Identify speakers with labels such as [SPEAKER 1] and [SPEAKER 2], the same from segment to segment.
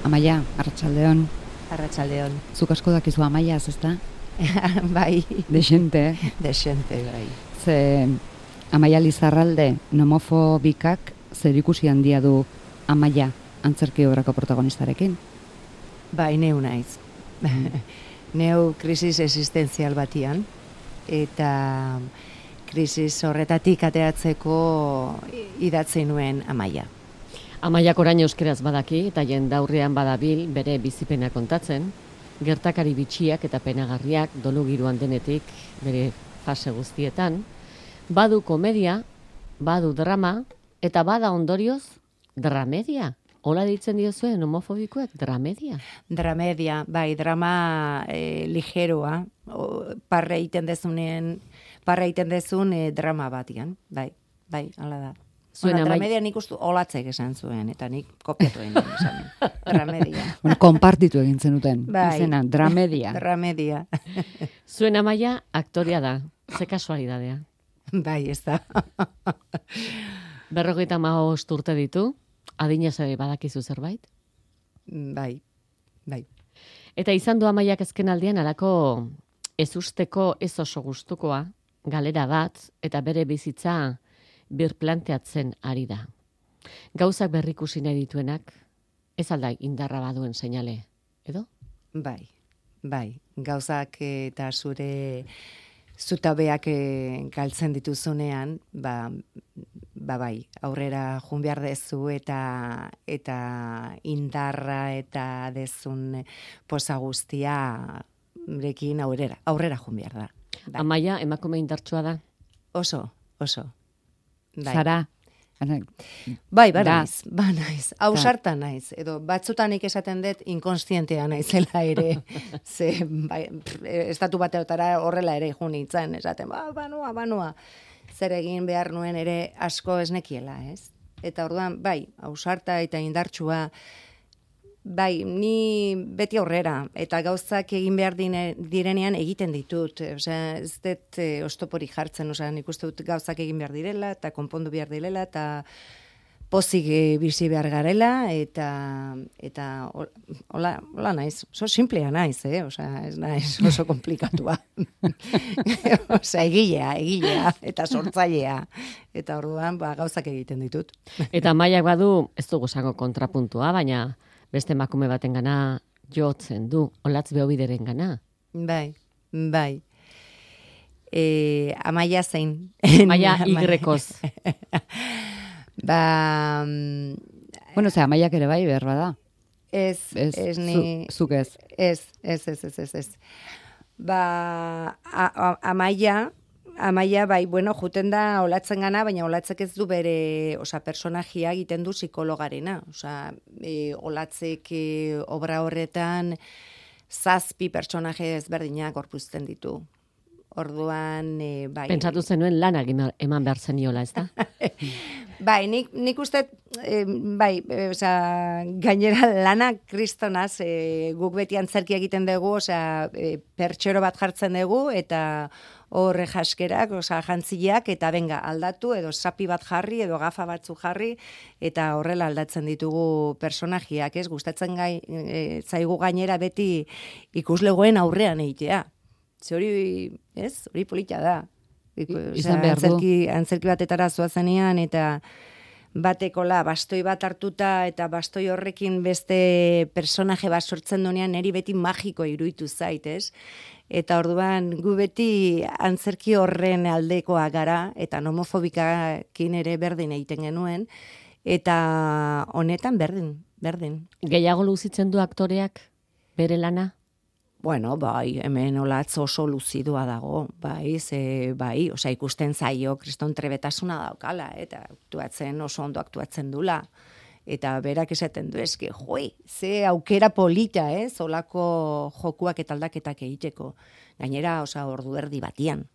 [SPEAKER 1] Amaia, arratsaldeon.
[SPEAKER 2] Arratsaldeon.
[SPEAKER 1] Zuk asko dakizu Amaiaz, ezta?
[SPEAKER 2] Bai.
[SPEAKER 1] Desente.
[SPEAKER 2] Desente, bai.
[SPEAKER 1] Ze Amaia Lizarralde nomofobikak zerikusi handia du Amaia antzerki obrako protagonistarekin?
[SPEAKER 2] Bai, neu naiz. Neu krisis existenzial batian, eta krisis horretatik ateatzeko idatzi nuen Amaia.
[SPEAKER 3] Amaiak orain euskeraz badaki eta jendaurrean badabil bere bizipena kontatzen, gertakari bitxiak eta penagarriak dolu giroan denetik bere fase guztietan, badu komedia, badu drama, eta bada ondorioz dramedia. Hola ditzen diozuen homofobikoek, dramedia?
[SPEAKER 2] Dramedia, bai, drama ligeroa, parra egiten dezun drama batian, bai, hala da. Dramedia nik ustu olatzek esan zuen, eta nik kopiatu egin esan. Dramedia.
[SPEAKER 1] Konpartitu egin zenuten,
[SPEAKER 2] bai.
[SPEAKER 1] Izena, dramedia.
[SPEAKER 2] Dramedia.
[SPEAKER 3] Zuen Amaia aktoria da, ze kasualidadea.
[SPEAKER 2] Bai, ez da.
[SPEAKER 3] 55 urte ditu, adinez ere badakizu zerbait?
[SPEAKER 2] Bai.
[SPEAKER 3] Eta izan du Amaiak azken aldian alako ezusteko ez oso gustukoa, galera bat, eta bere bizitza birplanteatzen ari da. Gauzak berrikusi nahi dituenak, ez alda indarra baduen seinale, edo?
[SPEAKER 2] Bai. Gauzak eta zure zutabeak galtzen dituzunean, bai, aurrera jun behar dezu eta indarra eta dezun posa guztia rekin aurrera jun behar da. Bai.
[SPEAKER 3] Amaia, emakume indartsua da?
[SPEAKER 2] Oso. Bai.
[SPEAKER 1] Zara?
[SPEAKER 2] Bai, naiz. Ausarta naiz. Edo batzutan esaten dut inkonstientea naizela ere. Ze, bai, estatu bateotara horrela ere jun nintzen. Esaten, banua. Zer egin behar nuen ere asko esnekiela, ez? Eta orduan, bai, ausarta eta indartsua, bai, ni beti aurrera, eta gauzak egin behar direnean egiten ditut. Osea, ez dut oztoporik jartzen, osea, nik uste dut gauzak egin behar direla, eta konpondu behar direla, eta pozik bizi behar garela, eta hola naiz, oso simplea naiz, osea, ez naiz oso komplikatua. Osea, egilea, eta sortzailea, eta orduan, gauzak egiten ditut.
[SPEAKER 3] Eta Amaiak badu, ez dugu esango kontrapuntua, baina beste emakume baten gana jotzen du, olatz behobideren gana.
[SPEAKER 2] Bai. Amaia zein?
[SPEAKER 3] Amaia igrekoz.
[SPEAKER 1] Bueno, Amaiak ere bai, behar bada.
[SPEAKER 2] Ez ni...
[SPEAKER 1] Zuk ez.
[SPEAKER 2] Ez. Amaia, bai, bueno, juten da olatzen gana, baina olatzek ez du bere, personajia egiten du psikologarena. Olatzek obra horretan 7 pertsonaje ezberdinak gorpuzten ditu. Orduan, bai.
[SPEAKER 3] Pentsatu zenuen lanak eman behar zeniola, ez da?
[SPEAKER 2] Bai, nik uste, bai, gainera lanak kristonaz, guk beti antzerki egiten dugu, pertsero bat jartzen dugu, eta horre jaskerak, jantzileak, eta benga, aldatu, edo sapi bat jarri, edo gafa batzu jarri, eta horrela aldatzen ditugu personajiak, ez? Gustatzen zaigu gainera beti ikuslegoen aurrean egitea. Hori polita da.
[SPEAKER 1] Izan behar du.
[SPEAKER 2] Antzerki batetara zoazenean, eta batekola bastoi bat hartuta, eta bastoi horrekin beste personaje bat sortzen duenean, niri beti magiko iruditu zait, ez? Eta orduan gu beti antzerki horren aldekoa gara, eta homofobikakin ere berdin egiten genuen, eta honetan berdin.
[SPEAKER 3] Gehiago luzitzen du aktoreak bere lana?
[SPEAKER 2] Bueno, bai, hemen olatz oso luzidua dago, bai, ikusten zaio kriston trebetasuna daukala, eta oso ondo aktuatzen dula. Eta berak esaten du, eske, ze aukera polita, olako jokuak eta aldaketak egiteko. Gainera, ordu erdi batian.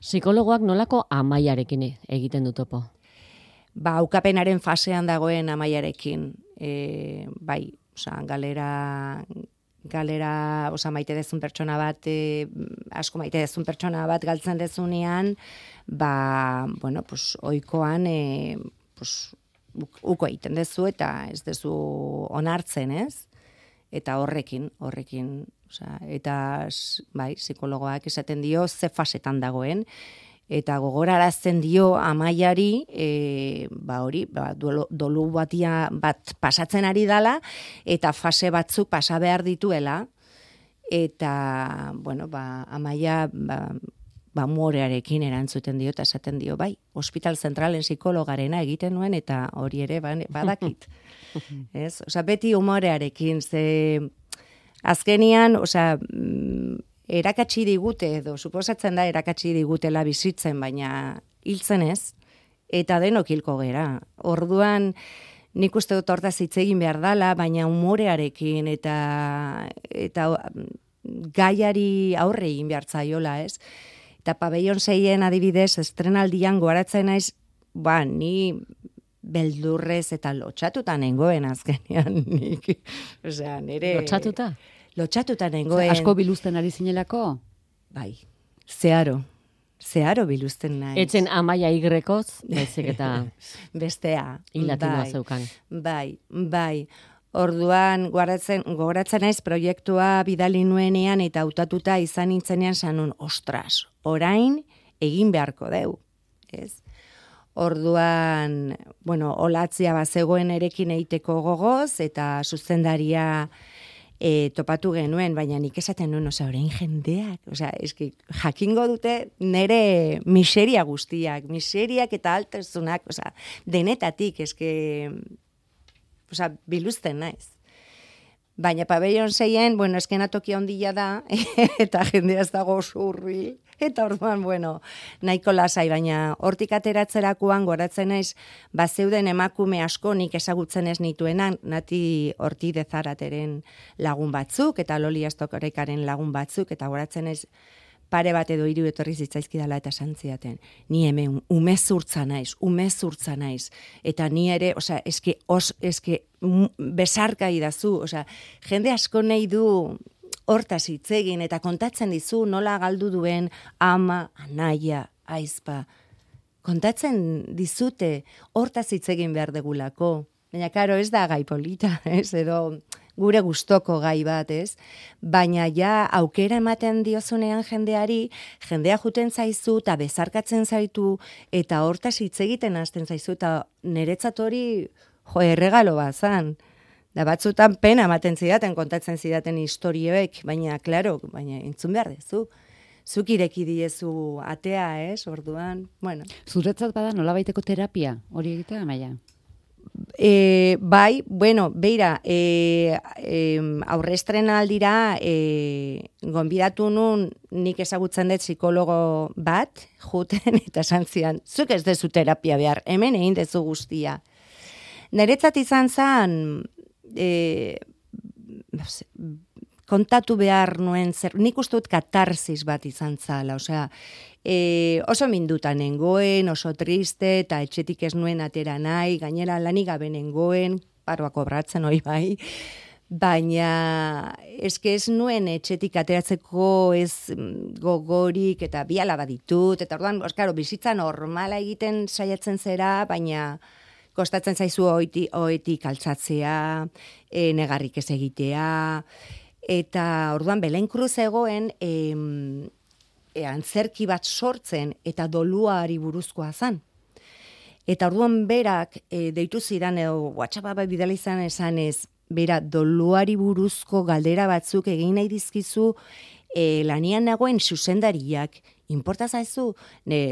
[SPEAKER 3] Psikologoak nolako Amaiarekin egiten du topo?
[SPEAKER 2] Aukapenaren fasean dagoen Amaiarekin, bai, galera, maite dezun pertsona bat, asko maite dezun pertsona bat galtzen dezunean, oikoan, uko egiten dezu eta ez dezu onartzen, ez? eta horrekin, osea, eta bai, psikologoak esaten dio ze fasetan dagoen, eta gogorarazten dio Amaiari, dolu bat pasatzen ari dala, eta fase batzuk pasa behar dituela, eta, Amaia, umorearekin erantzuten dio, eta esaten dio, bai, Hospital Zentralen psikologarena egiten nuen, eta hori ere badakit. Ez? Osea, beti umorearekin, ze azkenian, osea, erakatsi digute, edo suposatzen da erakatsi digutela bizitzen, baina hiltzen ez, eta denok hilko gera. Orduan, nik uste dut hortaz hitz egin behar dala, baina umorearekin eta gaiari aurre egin behar zaiola, ez? Eta Pabellon 6en adibidez, estrenaldian goratzen naiz, ni beldurrez eta lotxatuta nengoen azkenean nik. Osea, nire...
[SPEAKER 3] Lotxatuta?
[SPEAKER 2] Lotxatuta nengoen.
[SPEAKER 1] Asko biluzten ari zinelako?
[SPEAKER 2] Bai, zeharo biluzten naiz.
[SPEAKER 3] Etzen Amaia Y-koz, baizik eta...
[SPEAKER 2] Bestea.
[SPEAKER 3] Hilatinoa zeukan.
[SPEAKER 2] Bai. Orduan, gogoratzen naiz proiektua bidali nuenean eta hautatuta izan nintzenean sanun, ostras, orain egin beharko deu, ez? Orduan, olatzia bazegoen erekin eiteko gogoz, eta zuzendaria topatu genuen, baina nik esaten nuen, orain jendeak, eski jakingo dute nire miseriak eta altezunak, denetatik, eski, biluzten naiz. Baina Pabellon 6en, eskenatoki handia da, eta jendea ez dago zurri, eta orduan, nahiko lasai, baina hortik ateratzerakoan goratzen naiz, bazeuden emakume asko nik ezagutzen ez nituenan, Nati Ortiz de Zarateren lagun batzuk, eta Loli Astorekaren lagun batzuk, eta goratzen naiz, pare bat edo 3 etorri zitzaizkidala eta santziaten. Ni hemen umezurtza naiz. Eta ni ere, eske besarka idazu, jende asko nahi du hortaz hitz egin eta kontatzen dizu nola galdu duen ama, anaia, aizpa. Kontatzen dizute hortaz hitz egin behar degulako. Baina, karo, ez da gai polita, ez, edo gure gustoko gai bat, ez? Baina ja aukera ematen diozunean jendea juten zaizu eta bezarkatzen zaitu eta hortaz hitz egiten hasten zaizu eta niretzat hori erregalo bat zan. Da batzutan pena ematen zidaten, kontatzen zidaten istorioek, baina entzun behar dezu. Zuk ireki diezu atea, ez? Orduan,
[SPEAKER 1] Zuretzat bada nolabaiteko terapia hori egitea, Amaia?
[SPEAKER 2] Bai, beira, aurrestrenaldira gonbidatu nun nik ezagutzen dut psikologo bat, juten eta esan zidan, zuk ez dezu terapia behar, hemen egin dezu guztia. Niretzat izan zen, kontatu behar nuen nik uste dut katarsis bat izan zala, oso minduta nengoen, oso triste, eta etxetik ez nuen atera nahi, gainera lanik gabe nengoen, paroa kobratzen hori bai, baina eske ez nuen etxetik ateratzeko ez gogorik, eta bi alaba ditut, eta orduan, bizitza normala egiten saiatzen zera, baina kostatzen zaizu oetik altzatzea, negarrik ez egitea, eta orduan Belen Cruz egoen antzerki bat sortzen eta doluari buruzkoa zan. Eta orduan berak deitu zidan edo WhatsApp bidali izan esanez, bera doluari buruzko galdera batzuk egin nahi dizkizu lanian nagoen zuzendariak, inporta zaizu,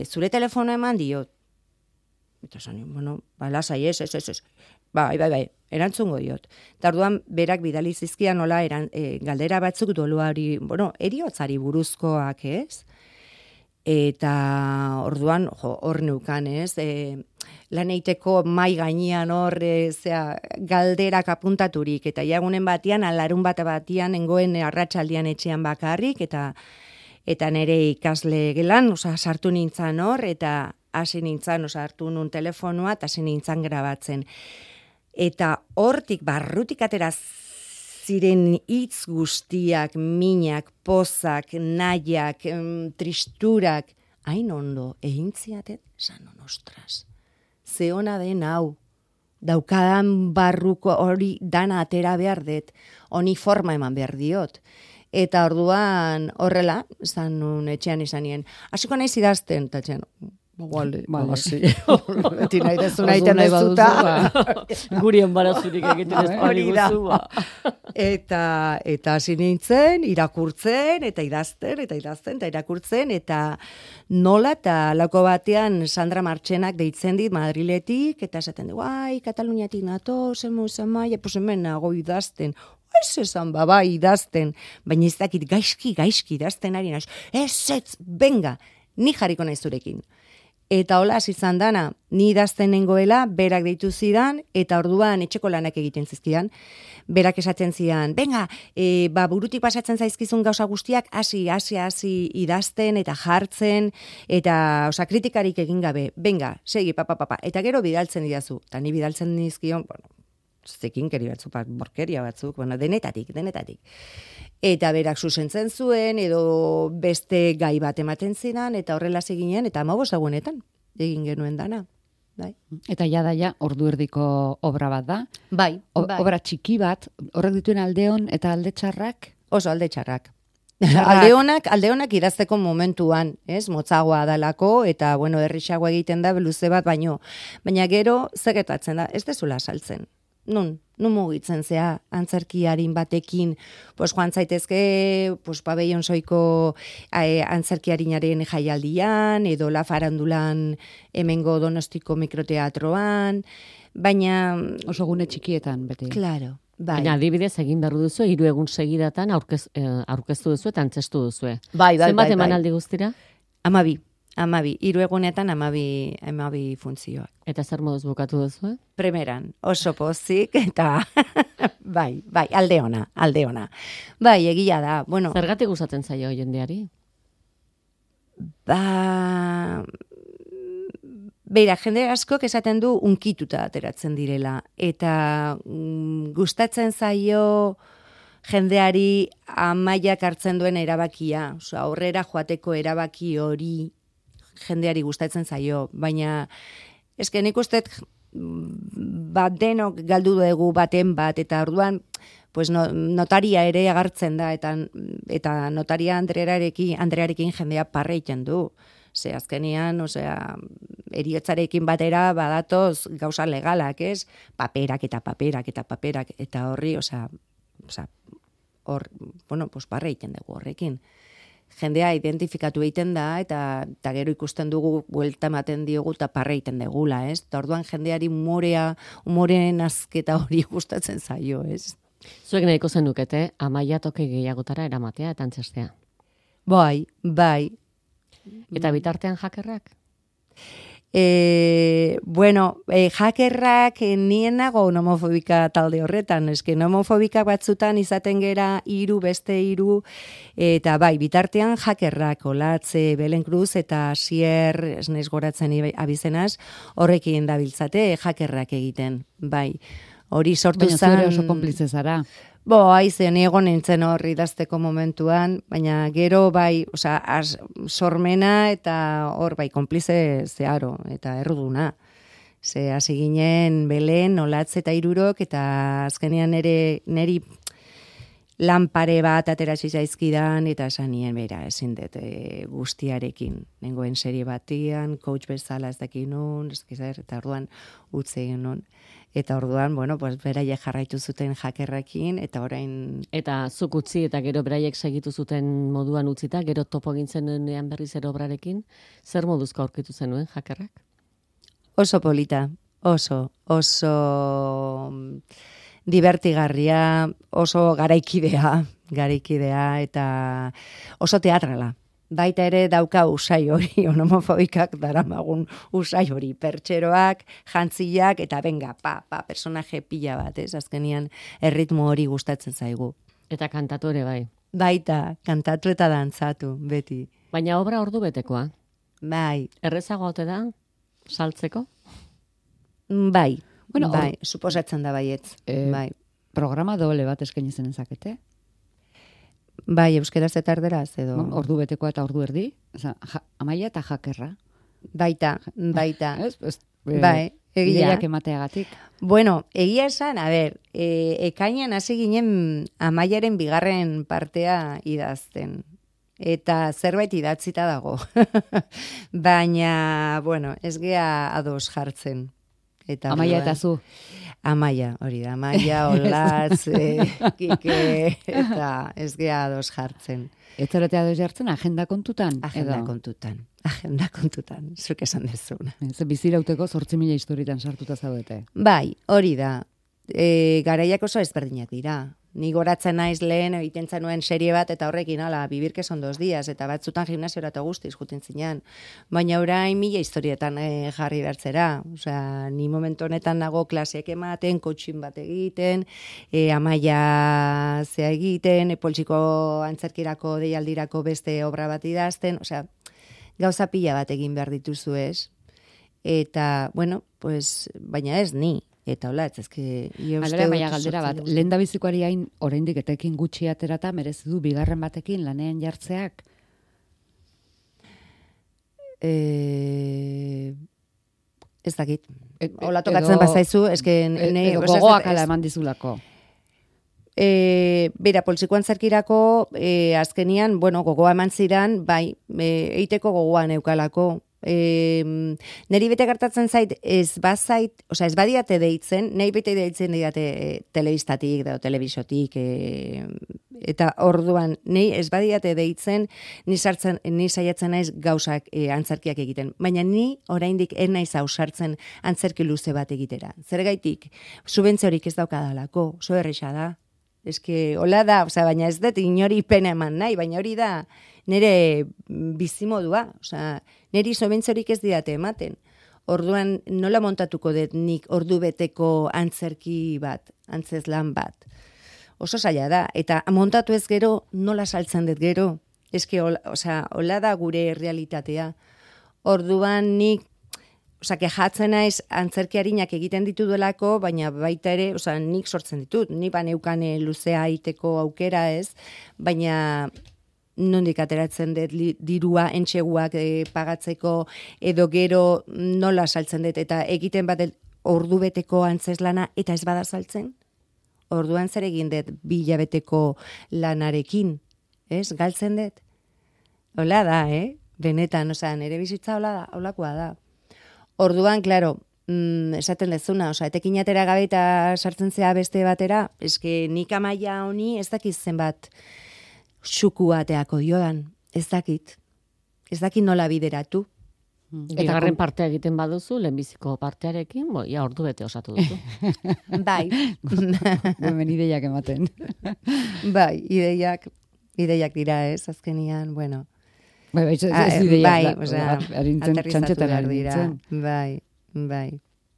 [SPEAKER 2] zure telefono eman diot. Eta zan, lasai ez. Bai, erantzungo diot. Eta orduan, berak bidali zizkian nola galdera batzuk doluari, eriotzari buruzkoak, ez? Eta orduan, hor neukan, ez? Lan eiteko mai gainean hor, galderak apuntaturik, eta jagunen batian, alarun batian, nengoen arratsaldian etxean bakarrik, eta nire ikasle gelan, sartu nintzen hor, eta hasi nintzen, hartu nun telefonoa, eta hasi nintzen grabatzen. Eta hortik, barrutik atera ziren hitz guztiak, minak, pozak, nahiak, tristurak, hain ondo, egin ziatet, sanon, ostras, ze ona den hau, daukadan barruko hori dana atera behar dut, honi forma eman behar diot. Eta orduan horrela, zan nun etxean izanien, hasiko naiz idazten, eta etxean, Vale,
[SPEAKER 1] sí.
[SPEAKER 2] Beti nahi dezu nahi tenezuta.
[SPEAKER 3] Guri enbarazurik egiten ez paliguzu.
[SPEAKER 2] Eta hasi nintzen, irakurtzen, eta idazten, eta irakurtzen, eta nola, eta lauko batean Sandra Martxenak deitzen dit Madriletik, eta esaten du, Kataluniatik nato, zemaia, pues hemen nago idazten. Ez esan, idazten, baina ez dakit gaizki idazten ari naiz. Ez, benga, ni jarriko naiz zurekin. Eta hola hasi izan dana, ni idazten nengoela, berak deitu zidan, eta orduan etxeko lanak egiten zizkidan. Berak esaten zidan, benga, burutik pasatzen zaizkizun gauza guztiak, hasi idazten eta jartzen, eta kritikarik egin gabe, benga, segi, papa, eta gero bidaltzen didazu. Eta ni bidaltzen nizkion, zekinkeri batzuk, borkeria batzuk, denetatik. Eta berak zuzentzen zuen, edo beste gai bat ematen zidan, eta horrela zeginen, eta 15 egunetan egin genuen dana. Bai.
[SPEAKER 1] Eta ja, ordu erdiko obra bat da?
[SPEAKER 2] Bai.
[SPEAKER 1] Obra txiki bat, horrek dituen aldeon eta alde txarrak?
[SPEAKER 2] Oso alde txarrak. Alde honak idazteko momentuan, ez? Motzagoa dalako, eta, errixagoa egiten da, luze bat, baina gero, zegetatzen da, ez dezula saltzen. Nun mugitzen zea, antzerkiarin batekin, joan zaitezke, pabellon soiko antzerkiarinaren jaialdian, edo la farandulan hemengo Donostiko mikroteatroan, baina...
[SPEAKER 1] Oso gune txikietan, beti.
[SPEAKER 2] Claro, bai.
[SPEAKER 3] Baina adibidez egin behar duzu, 3 egun segidatan aurkeztu duzu eta antzestu duzu.
[SPEAKER 2] Bai.
[SPEAKER 3] Zenbat emanaldi guztira?
[SPEAKER 2] 12, 3 egunetan 12 funtzioak.
[SPEAKER 3] Eta zer moduz bukatu duzu?
[SPEAKER 2] Primeran, oso pozik, eta bai, alde ona. Bai, egia da,
[SPEAKER 3] Zergatik gustatzen zaio jendeari?
[SPEAKER 2] Beira, jende askok esaten du unkituta ateratzen direla, eta gustatzen zaio jendeari Amaiak hartzen duen erabakia, aurrera joateko erabaki hori jendeari gustatzen zaio, baina eske nik usteet denok galdu dugu baten bat, eta orduan notaria ere agartzen da, eta notaria Andrearekin jendea parreiten du. Ze azkenian, eriotzarekin batera badatoz gauza legalak, ez? Paperak, eta horri, parreiten dugu horrekin. Jendea identifikatu egiten da, eta gero ikusten dugu buelta ematen diogu eta parre egiten degula, ez? Eta orduan jendeari umoreen azketa hori gustatzen zaio, ez?
[SPEAKER 3] Zuek nahiko zenukete, Amaia toki gehiagotara eramatea eta antzestea.
[SPEAKER 2] Bai.
[SPEAKER 3] Eta bitartean hakerrak?
[SPEAKER 2] Hakerrak nien nago nomofobika talde horretan, eske nomofobika batzutan izaten gera 3, beste 3, eta bai, bitartean hakerrak, Olatze, Belen Cruz eta Sier, esnez goratzen abizenaz, horrekin dabiltzate hakerrak egiten, bai. Hori sortu zan...
[SPEAKER 1] Baina zure oso konplize zara.
[SPEAKER 2] Ni egon nintzen hori idazteko momentuan, baina gero bai, sormena eta hor bai, konplize zeharo eta erruduna. Ze hasi ginen Belen, Olatze eta Hirurok, eta azkenean neri lanpare bat aterasi zaizkidan, eta esan nien bera, ezin dut guztiarekin. Nengoen serie batian, coach bezala ez dakin nun, eta orduan utze egin nun. Eta orduan, beraiek jarraitu zuten hakerrekin, eta orain...
[SPEAKER 3] Eta zuk utzi, eta gero beraiek segitu zuten moduan utzita, gero topo gintzen nuenean berriz ere obrarekin, zer moduzko aurkitu zenuen hakerrak?
[SPEAKER 2] Oso polita, oso divertigarria, oso garaikidea, eta oso teatrala. Baita ere dauka usai hori, homofobikak daramagun usai hori, pertseroak, jantziak, eta benga, personaje pila bat, ez? Azkenian erritmo hori gustatzen zaigu.
[SPEAKER 3] Eta kantatu ere bai.
[SPEAKER 2] Baita, kantatu eta dantzatu, beti.
[SPEAKER 3] Baina obra ordu betekoa.
[SPEAKER 2] Bai.
[SPEAKER 3] Errezago ote da, saltzeko?
[SPEAKER 2] Bai, suposatzen da baietz. Bai.
[SPEAKER 1] Programa doble bat eskaini zen ezakete?
[SPEAKER 2] Bai, euskeraz eta erderaz, edo...
[SPEAKER 1] Ordu betekoa eta ordu erdi, Amaia eta hakerra.
[SPEAKER 2] Baita.
[SPEAKER 1] Ez?
[SPEAKER 2] Bai,
[SPEAKER 1] Ideiak emateagatik.
[SPEAKER 2] Bueno, egia esan, ekainan hasi ginen Amaiaren bigarren partea idazten. Eta zerbait idatzita dago. Baina, bueno, ez gea ados jartzen. Eta
[SPEAKER 1] Amaia eta zu.
[SPEAKER 2] Amaia, hori da. Amaia, Olatz, Kike, eta ez gea ados jartzen.
[SPEAKER 1] Ez zarete ados jartzen agenda kontutan?
[SPEAKER 2] Agenda kontutan, zuk esan dezuna.
[SPEAKER 1] Bizirauteko 8.000 historietan sartuta zaudete.
[SPEAKER 2] Bai, hori da. Garaiak oso ezberdinak dira. Ni goratzen naiz lehen egiten zenuen serie bat eta horrekin Vivir que son 2 días eta batzutan gimnasiora eta guztiz juten zinean. Baina orain 1000 historietan jarri bertzera. Osea, ni momentu honetan nago klaseak ematen, coaching bat egiten, Amaia zea egiten, poltsiko antzerkirako deialdirako beste obra bat idazten, osea, gauza pila bat egin behar dituzu ez. Eta, bueno, pues, baina ez ni. Eta hola, ezke...
[SPEAKER 1] Alera, baina galdera bat, lehen da bizikoari hain oraindik etekin gutxi aterata, merezi du bigarren batekin lanean jartzeak?
[SPEAKER 2] Ez dakit. Hola tokatzen bazaizu, eske...
[SPEAKER 1] Edo gogoak ala eman dizulako.
[SPEAKER 2] Bera, poltsikoan zerkirako, azkenian, bueno, gogoa eman zidan, bai, eiteko gogoan eukalako. Neri bete gertatzen zait, ez badiate deitzen, nahi bete deitzen didate telebistatik, edo telebisotik, eta orduan, nahi ez badiate deitzen, ni saiatzen naiz gauzak antzerkiak egiten. Baina ni oraindik ez naiz ausartzen antzerki luze bat egitera. Zergaitik, subentziorik ez daukadalako, oso erresa da. Eske, hola da, baina ez dut inori pena eman nahi, baina hori da nire bizimodua, niri sobentzorik ez didate ematen. Orduan nola montatuko dut nik ordu beteko antzerki bat, antzezlan bat. Oso zaila da, eta montatu ez gero, nola saltzen dut gero. Eske, hola da gure realitatea. Orduan nik, kejatzen naiz antzerkiarinak egiten ditu delako, baina baita ere, nik sortzen ditut, ni baneukane luzea aiteko aukera ez, baina nondik ateratzen dut dirua entxeguak pagatzeko, edo gero nola saltzen dut, eta egiten bat ordu beteko antzeslana, eta ez bada saltzen. Orduan zer egin dut 2 hilabeteko lanarekin, ez? Galtzen dut. Hola da, benetan, nire bizitza hola da, holakoa da. Orduan, klaro, esaten dezuna, etekin atera gabe eta sartzen zea beste batera, eske nik Amaia honi ez dakiz zenbat xuku ateako diodan, ez dakit nola bideratu.
[SPEAKER 3] Bigarren partea egiten baduzu, lehenbiziko partearekin, ia ordu bete osatu duzu.
[SPEAKER 2] Bai.
[SPEAKER 1] Hemen ideiak ematen.
[SPEAKER 2] Bai, ideiak dira ez, azkenian, bueno.
[SPEAKER 1] Bai,
[SPEAKER 2] aterrizatu behar dira. Bai.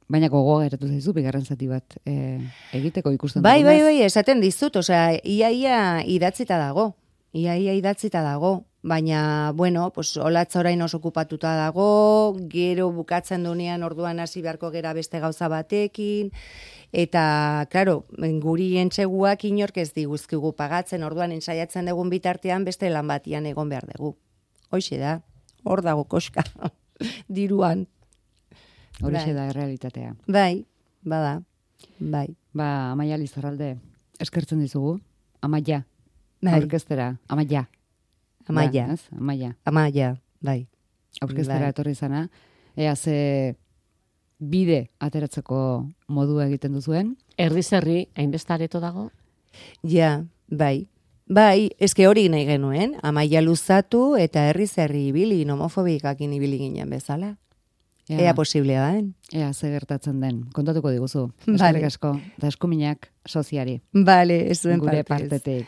[SPEAKER 1] Baina gogoa geratu zaizu, bigarren zati bat egiteko ikusten
[SPEAKER 2] dugunez. Bai, esaten dizut, ia idatzita dago. Baina, bueno, Olatz orain oso okupatuta dago, gero bukatzen dunean orduan hasi beharko gera beste gauza batekin, eta, klaro, guri entseguak inork ez diguzkigu pagatzen, orduan ensaiatzen dugun bitartean beste lan batian egon behar dugu. Hoxe da, hor dago koska, diruan.
[SPEAKER 1] Horixe da errealitatea.
[SPEAKER 2] Bai, bada, bai.
[SPEAKER 1] Amaia Lizarralde, eskertzen dizugu, Amaia, aurkeztera, Amaia,
[SPEAKER 2] bai.
[SPEAKER 1] Aurkeztera etorri zana, ea ze bide ateratzeko modua egiten duzuen.
[SPEAKER 3] Herri, hainbeste areto dago?
[SPEAKER 2] Ja, bai. Bai, eske hori nahi genuen, Amaia luzatu eta herri ibili, homofobikakin ibili ginen bezala. Ea posiblea da,
[SPEAKER 1] Ea ze gertatzen den, kontatuko diguzu. Eskerrik asko, eta eskuminak soziari.
[SPEAKER 2] Bale, ez duen
[SPEAKER 1] gure partetik.